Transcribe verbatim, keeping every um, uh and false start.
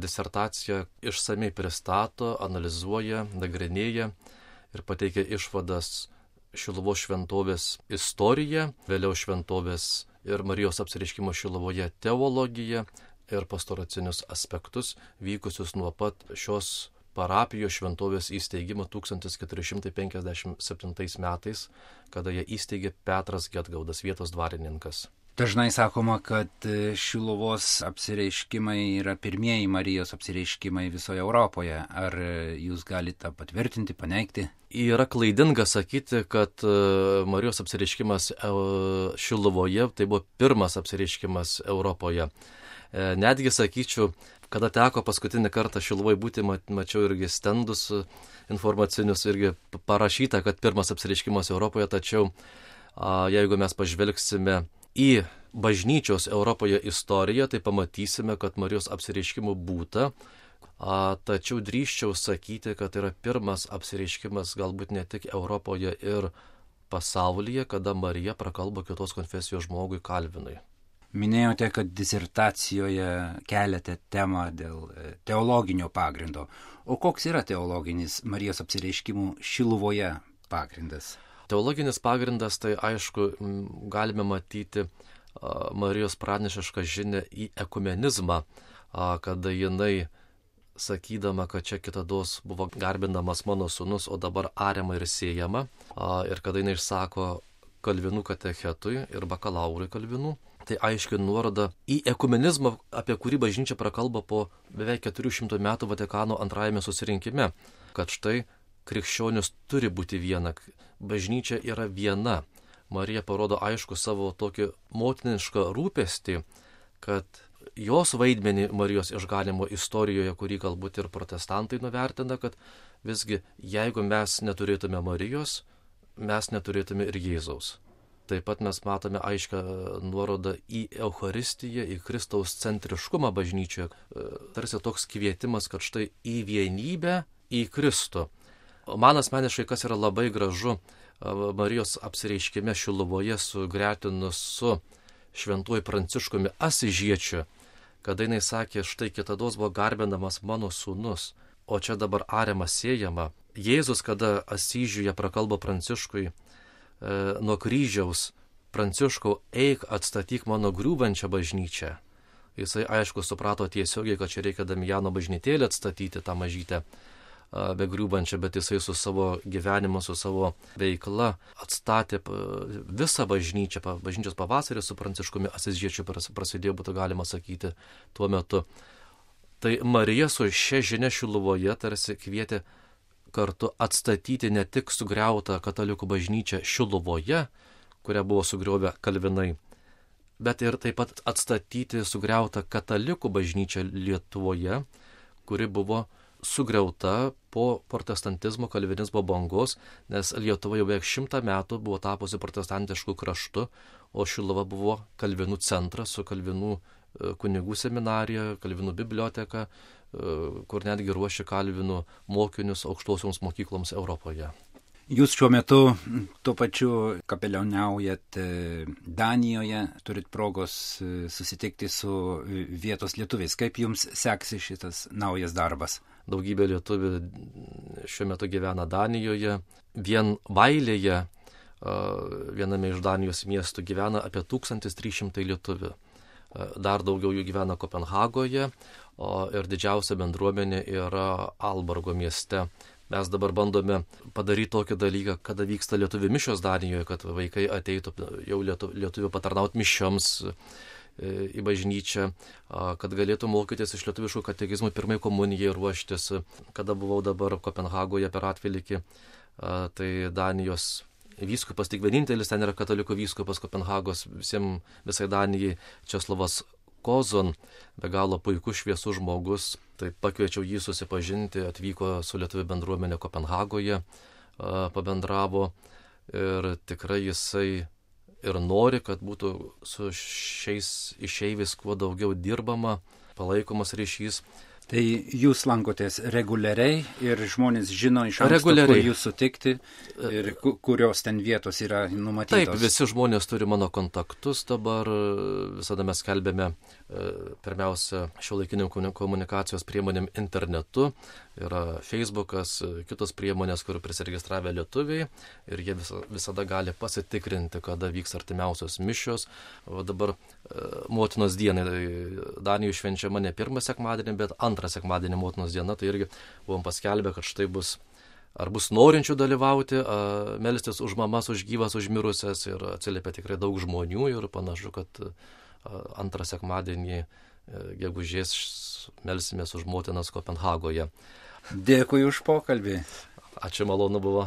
disertaciją išsamei pristato, analizuoja, nagrinėja ir pateikia išvadas Šiluvos šventovės istoriją, vėliau šventovės ir Marijos apsireiškimo Šiluvoje teologiją ir pastoracinius aspektus vykusius nuo pat šios parapijos šventovės įsteigimo tūkstantis keturi šimtai penkiasdešimt septintais metais, kada ją įsteigė Petras Gedgaudas, vietos dvarininkas. Dažnai sakoma, kad Šiluvos apsireiškimai yra pirmieji Marijos apsireiškimai visoje Europoje. Ar jūs galite patvirtinti, paneigti? Yra klaidinga sakyti, kad Marijos apsireiškimas Šiluvoje tai buvo pirmas apsireiškimas Europoje. Netgi sakyčiau, kada teko paskutinį kartą Šiluvoj būti, mačiau irgi stendus informacinius, irgi parašyta, kad pirmas apsireiškimas Europoje, tačiau jeigu mes pažvelgsime į bažnyčios Europoje istoriją, tai pamatysime, kad Marijos apsireiškimų būta, tačiau drįsčiau sakyti, kad yra pirmas apsireiškimas galbūt ne tik Europoje ir pasaulyje, kada Marija prakalbo kitos konfesijos žmogui Kalvinui. Minėjote, kad disertacijoje keliate temą dėl teologinio pagrindo. O koks yra teologinis Marijos apsireiškimų Šiluvoje pagrindas? Teologinis pagrindas, tai aišku, galime matyti Marijos pranašišką žinią į ekumenizmą, kada jinai, sakydama, kad čia kitados buvo garbinamas mano sūnus, o dabar ariama ir siejama, ir kada jinai išsako Kalvinų katechetui ir bakalaurui Kalvinų, tai aiškiai nuoroda į ekumenizmą, apie kurį bažnyčia prakalba po beveik keturių šimtų metų Vatikano antrajame susirinkime, kad štai krikščionis turi būti viena, bažnyčia yra viena. Marija parodo aišku savo tokį motinišką rūpestį, kad jos vaidmenį Marijos išganimo istorijoje, kurį galbūt ir protestantai nuvertina, kad visgi jeigu mes neturėtume Marijos, mes neturėtume ir Jėzaus. Taip pat mes matome aišką nuorodą į Eucharistiją, į Kristaus centriškumą bažnyčioje. Tarsi toks kvietimas, kad štai į vienybę, į Kristų. Man asmeniškai, kas yra labai gražu Marijos apsireiškime Šiluvoje sugretinus su šventuoju Pranciškumi Asižiečiu, kada jinai sakė, štai kitados buvo garbinamas mano sūnus, o čia dabar ariama siejama. Jėzus, kada Asyžiuje prakalbo Pranciškui, nuo kryžiaus, Pranciškau, eik atstatyk mano griūvančią bažnyčią. Jisai aišku suprato tiesiogiai, kad čia reikia Damijano bažnytėlę atstatyti, tą mažytę be griūvančią, bet jisai su savo gyvenimu, su savo veikla atstatė visą bažnyčią. Bažnyčios pavasaris su Pranciškumi Asižiečiu prasidėjo, būtų galima sakyti, tuo metu. Tai Marija su šia žinia Šiluvoje tarsi kvietė kartu atstatyti ne tik sugriautą katalikų bažnyčią Šiluvoje, kurią buvo sugriovę Kalvinai, bet ir taip pat atstatyti sugriautą katalikų bažnyčią Lietuvoje, kuri buvo sugriauta po protestantizmo, kalvinizmo bangos, nes Lietuva jau beveik šimtą metų buvo tapusi protestantiškų kraštu, o Šiluva buvo Kalvinų centras su Kalvinų kunigų seminarija, Kalvinų biblioteka, kur netgi ruošia Kalvinų mokinius aukštosioms mokykloms Europoje. Jūs šiuo metu tuo pačiu kapelioniaujat Danijoje, turit progos susitikti su vietos lietuviais. Kaip jums seksi šitas naujas darbas? Daugybė lietuvių šiuo metu gyvena Danijoje. Vien Vailėje, viename iš Danijos miestų, gyvena apie tūkstantis trys šimtai lietuvių. Dar daugiau jų gyvena Kopenhagoje, o ir didžiausia bendruomenė yra Alborgo mieste. Mes dabar bandome padaryti tokį dalyką, kada vyksta lietuvių mišios Danijoje, kad vaikai ateitų jau lietuvių patarnauti mišioms į bažnyčią, kad galėtų mokytis iš lietuviškų katekizmų pirmai komunijai ruoštis. Kada buvau dabar Kopenhagoje per atvelykį, tai Danijos vyskupas, tik vienintelis ten yra katalikų vyskupas Kopenhagos, visiems, visai Danijai, Česlovas Kozon, be galo puikus šviesus žmogus, tai pakviečiau jį susipažinti, atvyko su lietuvių bendruomenė Kopenhagoje, pabendravo ir tikrai jisai ir nori, kad būtų su šiais išeiviais kuo daugiau dirbama, palaikomas ryšys. Tai jūs lankotės reguliariai ir žmonės žino iš anksto, kur jūs sutikti ir kurios ten vietos yra numatytos? Taip, visi žmonės turi mano kontaktus dabar, visada mes skelbėme pirmiausia šiuolaikinių komunikacijos priemonėm internetu, yra Facebookas, kitos priemonės, kur prisiregistravę lietuviai ir jie visada gali pasitikrinti, kada vyks artimiausios mišios. O dabar motinos dienai Danijoje švenčiama ne pirmą sekmadienį, bet antrą sekmadienį motinos diena, tai irgi buvom paskelbę, kad štai bus, ar bus norinčių dalyvauti, melstis už mamas, už gyvas, už mirusias ir atsiliepia tikrai daug žmonių ir panašu, kad antrą sekmadienį gegužės melsimės už motinas Kopenhagoje. Dėkui už pokalbį. Ačiū, malonu buvo.